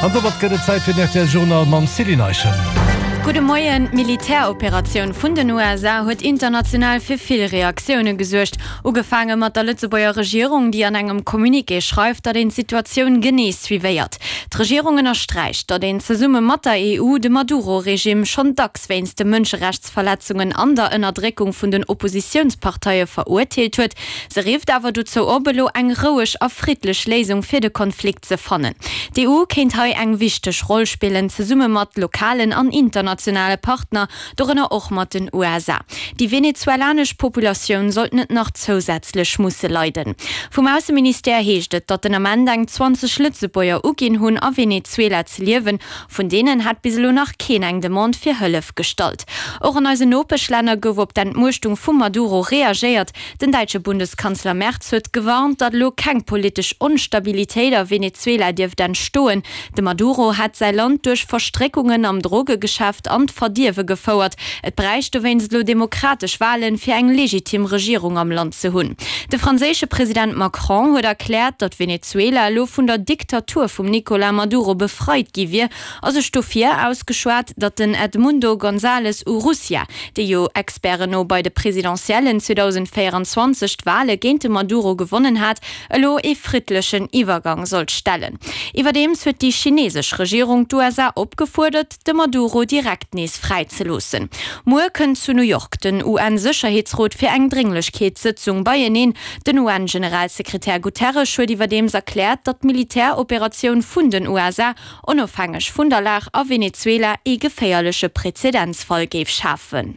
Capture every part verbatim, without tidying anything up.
An domat gëtt et Zäit fir den rtl Journal mam Céline Eischen. Gudde Moien, D'Militäroperatioun vun den U S A huet international fir vill Reaktioune gesuergt. Ugefaange mat der Lëtzebuerger Regierung, déi an engem Communiqué schreift, datt een d'Situatioun genee suivéiert. D'Regierung ënnersträicht, datt een zesumme mat der E U de Maduro-Regime schonn dacks wéinst de Mënscherechtsverletzungen an der Ënnerdréckung vun den Oppositiounsparteie verurteelt huet. Se rifft awer dozou op, elo eng roueg a friddlech Léisung fir de Konflikt ze fannen. D'E U kéint hei eng wichteg Roll spillen, zesumme mat lokalen an internationale Partner, dorënner och mat den U S A. Déi venezuelanesch Populatioun sollt net nach zousätzlech musse leiden. Vum Ausseministère heescht et, datt den Ament eng zwanzeg Lëtzebuerger uginn hunn a Venezuela ze liewen. Vun deenen hat bis elo nach keen eng Demande fir Hëllef gestallt. Och an eisen Nopeschlänner gouf op d'Entmuechtung vum Maduro reagéiert. Den däitsche Bundeskanzler Merz huet gewarnt, datt elo keng politesch Onstabilitéit a Venezuela dierft entstoen. De Maduro hat säi Land duerch Verstréckungen am Drogegeschäft an d'Verdierwe gefouert. Et bräicht dowéinst elo demokratesch Wahlen, fir eng legitim Regierung am Land ze hunn. De franséische President Macron huet erkläert, datt Venezuela elo vun der Diktatur vum Nicolás Maduro befreit gi wier, a sech dofir ausgeschwat, datt den Edmundo González Urrutia, dee jo Experten no bei de Presidentiellen zweitausendvéierundzwanzeg d'Wahle géint de Maduro gewonnen hat, elo ee friddlechen Iwwergang sollt stellen. Iwwerdeems huet déi chinesesch Regierung d'U S A opgefuerdert, de Maduro direkt nees fräizeloossen. Muer kënnt zu New York den U N-Sécherheetsrot fir eng Dringlechkeetssëtzung beieneen. Den U N-Generalsekretär Guterres huet iwwerdeems erkläert, datt d'Militäroperatioun vun den U S A onofhängeg vun der Lag a Venezuela ee geféierleche Präzedenzfall géif schafen.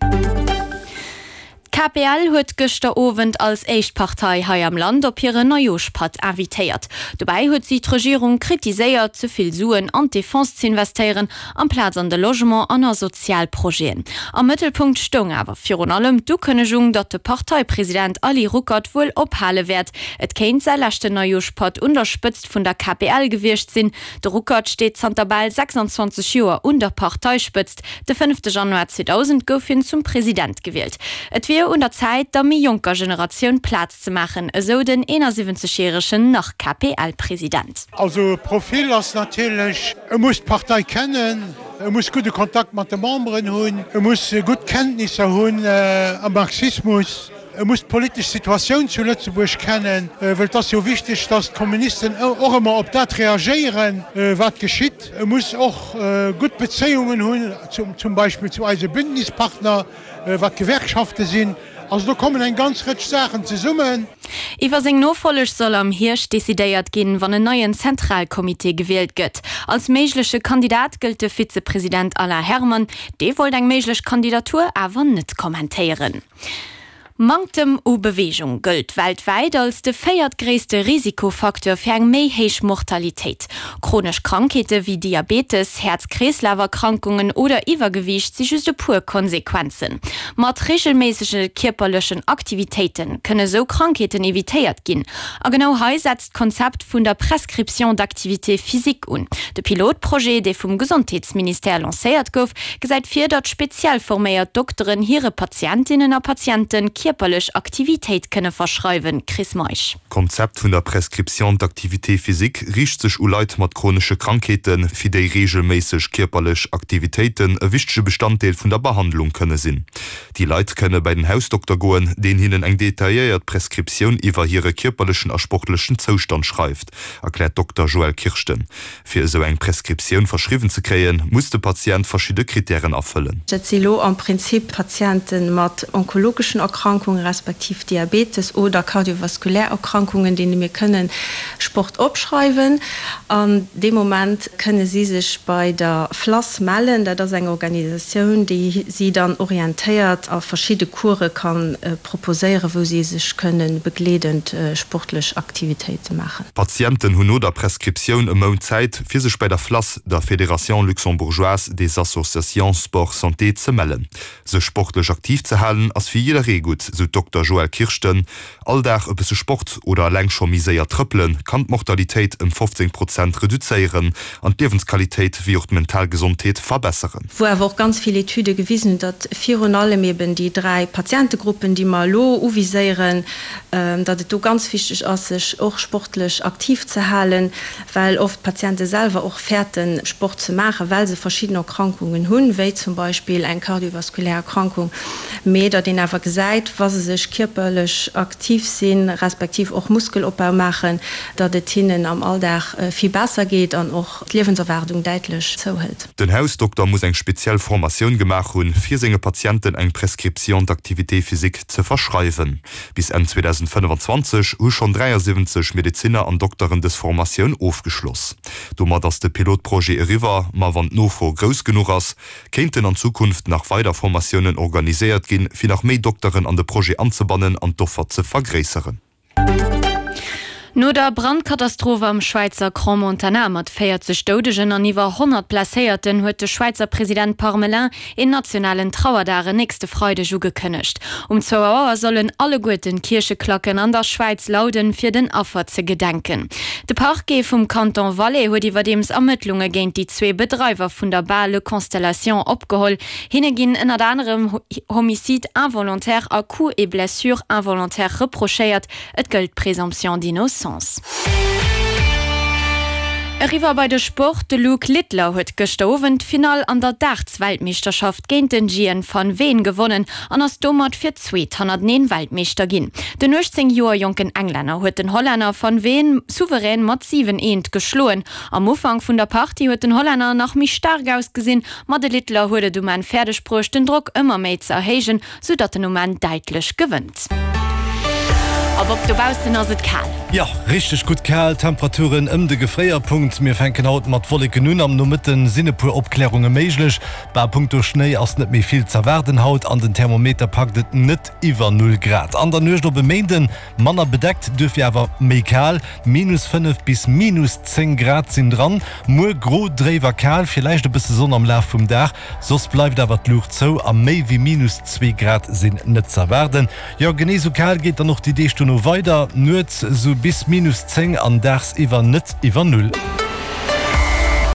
D'K P L huet gëschter Owend als éischt Partei hei am Land op hire Neijooschpatt invitéiert. Dobäi huet si d'Regierung kritiséiert, ze vill Suen an d'Defense ze investéieren, amplaz an de Logement an a Sozialprojeten. Am Mëttelpunkt stoung awer virun allem d'Ukënnegung, datt de Parteipresident Ali Ruckert wuel ophale wäert. Et kéint säi leschten Neijooschpatt un der Spëtzt vun der K P L gewiescht sinn. De Ruckert steet zanter bal sechsundzwanzeg Joer un der Parteispëtzt. De fënnefte Januar zweitausend gouf hien zum President gewielt. Et wier un der Zäit, der méi jonker Generatioun Plaz ze maachen, esou den eenundsiwwenzeg-jähregen nach K P L-President. Also Profil ass natierlech, e muss d'Partei kennen, e muss gute Kontakt mat de Memberen hunn, e muss gutt Kenntnisser hunn, äh, am Marxismus, e muss d'politesch Situatioun zu Lëtzebuerg kennen, äh, well et ass jo wichteg, dass d'Kommunisten och ëmmer op dat reagéieren, äh, wat geschitt. E muss och, äh, gutt Bezéiungen hunn, zum, zum Beispill zu eise Bündnispartner, äh, wat Gewerkschafte sinn. Also do kommen eng ganz Rëtsch Saachen zesummen. Iwwer seng Nofolleg soll am Hierscht decidéiert ginn, wann en neien Zentralkomitee gewielt gëtt. Als méigleche Kandidat gëllt de Vizepresident Alain Herman. Dee wollt eng méiglech Kandidatur awer net kommentéieren. Manktem u Bewegung gëllt weltwäit als de véiertgréisste Risikofaktor fir eng méi héich Mortalitéit. Chronesch Krankheete wéi Diabetes, Häerz-Kreeslaf-Erkrankungen oder Iwwergewiicht si just e puer Konsequenzen. Mat regelméissege kierperlechen Aktivitéite kënne sou Krankheeten evitéiert ginn. A genau hei setzt d'Konzept vun der Prescription d'activité physique un. De Pilotprojet, dee vum Gesondheetsministère lancéiert gouf, gesäit vir, datt speziell forméiert Dokteren hire Patientinnen a Patienten kierperlech Aktivitéit kënne verschreiwen. Chris Meisch. Konzept vun der Prescription d'activité physique riicht sech u Leit mat chronesche Krankheeten, fir déi regelméisseg kierperlech Aktivitéiten e wichtege Bestanddeel vun der Behandlung kënne sinn. Déi Leit kënne bei den Hausdokter goen, deen hinnen eng detailléiert Prescriptioun iwwer hire kierperlechen a sportlechen Zoustand schreift, erkläert Dokter Joël Kirsten. Fir esou eng Prescriptioun verschriwwen ze kréien, muss de Patient verschiedene Kriterien erfëllen. Dat si lo am Prinzip Patienten mat onkologeschen Erkrankungen, respektiv Diabetes oder kardiovaskulär Erkrankungen, denen mir kënnen Sport opschreiwen. An dem Moment kënne sie sich bei der F L A S mellen. Dat ass eng Organisatioun, déi sie dann orientéiert a verschiedene Kurse kann, äh, proposéieren, wo sie sich können begleitend, äh, sportlich Aktivitäten machen. Patienten hunn no der Prescriptioun e Mount Zäit, fir sech bei der F L A S, der Fédération Luxembourgeoise des Associations Sport Santé, ze mellen. Sech sportlech aktiv ze halen, ass fir jidderee gutt, Mortalitéit, sou d'Dokter Joëlle Kirschten. All Dag e bësse Sport oder eleng scho méi séier trëppelen, kann d'Mortalitéit ëm fofzéng Prozent reduzéieren an d'Liewensqualitéit wéi och d'mental Gesondheet verbesseren. Wou awer och ganz vill Etüde gewisen hunn, datt virun allem eben déi dräi Patientegruppen, déi mer elo uviséieren, datt et do ganz wichteg ass, sech och sportlech aktiv ze halen, well oft d'Patiente selwer och fäerten, Sport ze maachen, well se verschidden Erkrankungen hunn, wéi zum Beispill eng kardiovaskulär Erkrankung, mee datt een awer gesäit, wa se sech kierperlech aktiv sinn, respektiv och Muskelopbau maachen, datt et hinnen am Alldag vill besser geet an och d'Liewenserwaardung däitlech zouhëlt. Den Hausdokter muss eng speziell Formatioun gemaach hunn, fir senge Patienten eng Prescription d'activité physique ze verschreiwen. Bis Enn zweedausendfënnefanzwanzeg hu schonn dräiasiwwenzeg Medezinner an Dokteren dës Formatioun ofgeschloss. Domat ass de Pilotprojet eriwwer, ma wann d'Nofro grouss genuch ass, kéinten an Zukunft nach weider Formatiounen organiséiert ginn, fir nach méi Dokteren an de Projet anzebannen an d'Offer ze vergréisseren. No der Brandkatastroph am Schwäizer Crans-Montana mat véierzeg Doudegen an iwwer honnert Blesséierten huet de Schwäizer President Parmelin een nationalen Trauerdag en nächste Freideg ugekënnegt. Um zwou Auer sollen alleguerten d'Kiercheklacken an der Schwäiz lauden, fir den Affer ze gedenken. De Parquet vum Kanton Valais huet iwwerdeems Ermëttlunge géint déi zwee Bedreiwer vun der Bar Le Constellation opgeholl. Hinne ginn ënnert anerem Homicide involontaire a Coups et blessures involontaires reprochéiert. Et gëllt d'Présomption d'innocence. Eriwwer bei de Sport, De Luke Littler huet gëschter Owend d'Finall an der Darts-Weltmeeschterschaft géint den Gian van Veen gewonnen an ass domat fir d'zweet hannerteneen Weltmeeschter ginn. Den uechtzéng Joer jonken Englänner huet den Hollänner van Veen souverän mat siwen, eent geschloen. Am Ufank vun der Partie huet den Hollänner nach méi staark ausgesinn, ma de Littler huet et um Enn fäerdeg bruecht den Drock ëmmer méi ze erhéijen, sou datt en um Enn däitlech gewënnt. A Bob, dobaussen ass et kal. Jo, richteg gutt kal, Temperaturen ëm de Gefréierpunkt. Mir fänken haut mat Wolleken un, am Nomëtten sinn e puer Opklärunge méiglech. Bah, punkto Schnéi ass net méi vill z'erwaarden haut an den Thermometer packt et net iwwer Null Grad. An der Nuecht op e Méinden manner bedeckt, duerfir awer méi kal, minus fënnef bis minus zéng Grad sinn dran. Muer gro, dréif a kal, villäicht e bësse Sonn am Laf vum Dag, soss bleift awer d'Luucht zou a méi wéi minus zwee Grad sinn net z'erwaarden. Jo, genee sou kal geet dann och déi Deeg dono weider, nuets sou bis minus zéng an daagsiwwer net iwwer Null.